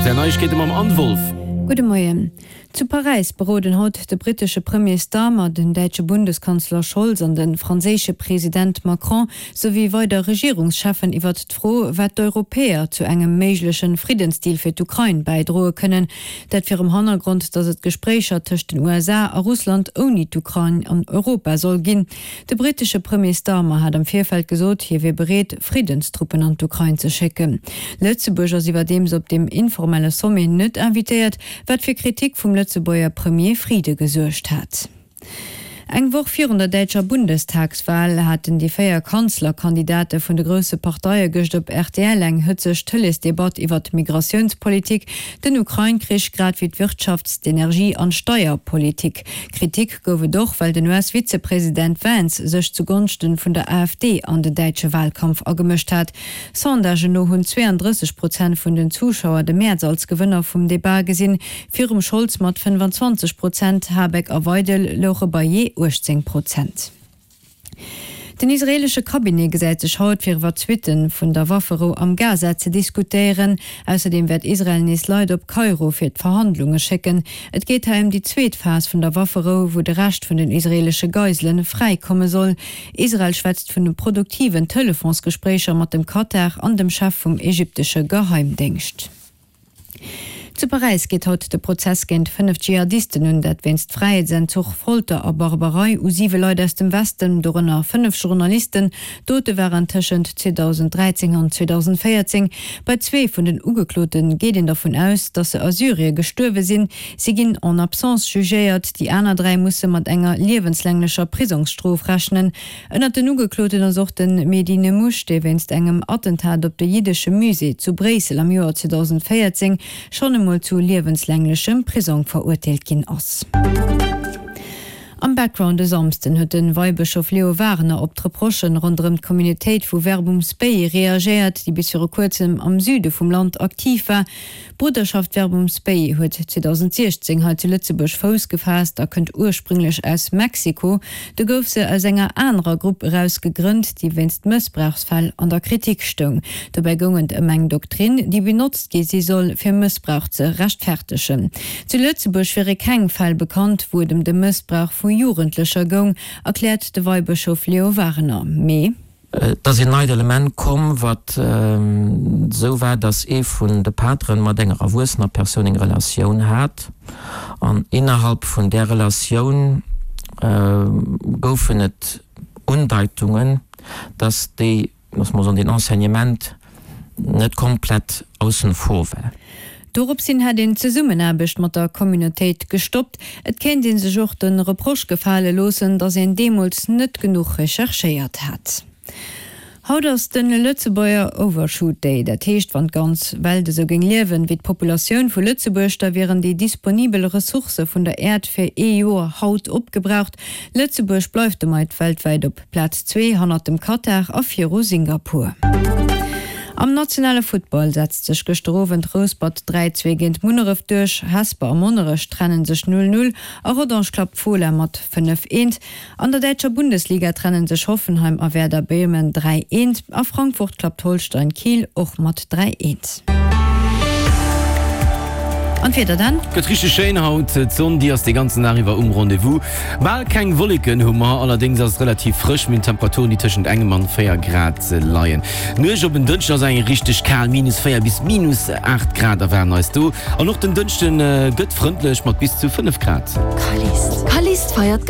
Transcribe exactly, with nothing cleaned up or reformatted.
R T L Neiegkeete mam Anne Wolff. Gudde Moien. Zu Paräis beroden haut de brittesche Premier Starmer, den däitsche Bundeskanzler Scholz an de franséische President Macron souwéi weider Regierungscheffen iwwert d'Fro, wat d'Europäer zu engem méigleche Friddensdeal fir d'Ukrain bäidroe kënnen. Dat virum Hannergrond, datt et Gespréicher tëscht den U S A a Russland ouni d'Ukrain an Europa soll ginn. De brittesche Premier Starmer hat am Virfeld gesot, hie wier bereet, Friddenstruppen an d'Ukrain ze schécken. Lëtzebuerg ass iwwerdeems op deem informelle Sommet net invitéiert, wat fir Kritik vum Lëtzebuerger Premier Frieden gesuergt hat. Eng Woch virun der däitscher Bundestagswal haten déi véier Kanzlerkandidate vun de grousse Parteie gëscht op R T L eng hëtzeg Tëleesdebatt iwwer d'Migratiounspolitik, den Ukrain-Krich grad wéi d'Wirtschafts-, d'Energie an d'Steierpolitik. Kritik gouf et och, well den U S-Vizepresident Vance sech zu Gonschte vun der A F D an den däitsche Walkampf agemëscht hat. Sondagen no hunn zwéiandrësseg Prozent vun den Zuschauer de Merz als Gewënner vum Debat gesinn, virum Scholz mat fënnfanzwanzeg Prozent, Habeck a Weidel louche bei jee uechtzéng Prozent. Den israeelesche Cabinet gesäit sech haut fir iwwer d'Suitte vun der Wafferou am Gaza ze diskutéieren. Ausserdeem wäert Israel nees Leit op Kairo fir d'Verhandlunge schécken. Et geet hei ëm déi zweet Phas vun der Wafferou, wou de Rescht vun den israeelesche Geisele fräikomme soll. Israel schwätzt vun produktiven Telefonsgespréicher mat dem Katar an dem Chef vum ägyptesche Geheimdéngscht. Zu Paräis geet haut de Prozess géint fënnef Dschihadisten un, dat wéinst Fräiheetsentzuch, Folter a Barbarei u siwe Leit aus dem Westen, dorënner fënnef Journalisten. D'Dote waren tëschent zweedausend dräizéng an zweedausend véierzéng. Bei zwee vun den Ugeklote geet een dervun aus, datt se a Syrie gestuerwe sinn. Si ginn en absence jugéiert, déi aner dräi musse mat enger liewenslänglecher Prisongsstrof rechnen. Ënnert den Ugekloten ass och de Mehdi Nemmouche, dee wéinst engem Attentat op de jiddesche Musée zu Bréissel am Joer zweedausend véierzéng schonn emol zu liewenslänglechem Prisong verurteelt ginn ass. Am Background e Samschden huet de Weibëschof Leo Wagener op d'Reprochen ronderëm d'Communautéit vu Verbum Spei reagéiert, déi bis viru kuerzem am Süde vum Land aktiv war. D'Bruderschaft Verbum Spei huet zweedausend siechzéng hei zu Lëtzebuerg Fouss gefaasst a kënnt ursprünglech aus Mexiko. Do gouf se aus enger anerer Grupp eraus gegrënnt, déi wéinst Mëssbrauchsfäll an der Kritik stoung. Dobäi goung et ëm eng Doktrin, déi benotzt gi si soll, fir Mëssbrauch ze rechtfäerdegen. Zu Lëtzebuerg wiere keng Fäll bekannt, wou et ëm de Mëssbrauch vu Jugendlecher goung, erkläert de Weibëschof Leo Wagener. Mee Et ass een neit Element komm, wat esou war, dass ee vun de Pateren mat enger erwuessener Persoun eng Relatioun hat, an innerhalb vun där Relatioun goufen et Undeitungen, dass déi, loosse mer soen, deen Enseignement net komplett aussen vor war. Doropshin hätt een d'Zesummenaarbecht mat der Communautéit gestoppt. Et kéint ee sech och de Reproche gefale loossen, datt een deemools net genuch recherchéiert hätt. Haut ass de Lëtzebuerger Overshoot Day, dat heescht, wann d'ganz Welt esou géing liewen wéi d'Populatioun vu Lëtzebuerg, da wieren déi disponibel Ressourcë vun der Äerd fir ee Joer haut opgebraucht. Lëtzebuerg bleift domat weltwäit op Plaz zwee hannert dem Katar a viru Singapur. Am nationale Futtball setzt sech gëschter Owend Rouspert dräi zwee géint Munneref duerch, Hesper a Monnerech trenne sech null null a Rodange klappt Fola mat fënnef eent. An der däitscher Bundesliga trenne sech Hoffenheim a Werder Bremen dräi eent a Frankfurt klappt Holstein Kiel och mat dräi eent. An d'Wieder dann? Gëtt richteg schéin haut, d'Sonn déi ass de ganzen Dag iwwer um Rendez-vous. Bal keng Wolleken hu mer, allerdéngs ass et relativ frësch, mir hunn Temperaturen déi tëschent engem an véier Grad leien. D'Nuecht op en Dënschden ass eng richteg kal, minus véier bis minus aacht Grad erwaarden eis do. An och den Dënschde gëtt frëndlech mat bis zu fënnef Grad. Callist feiert.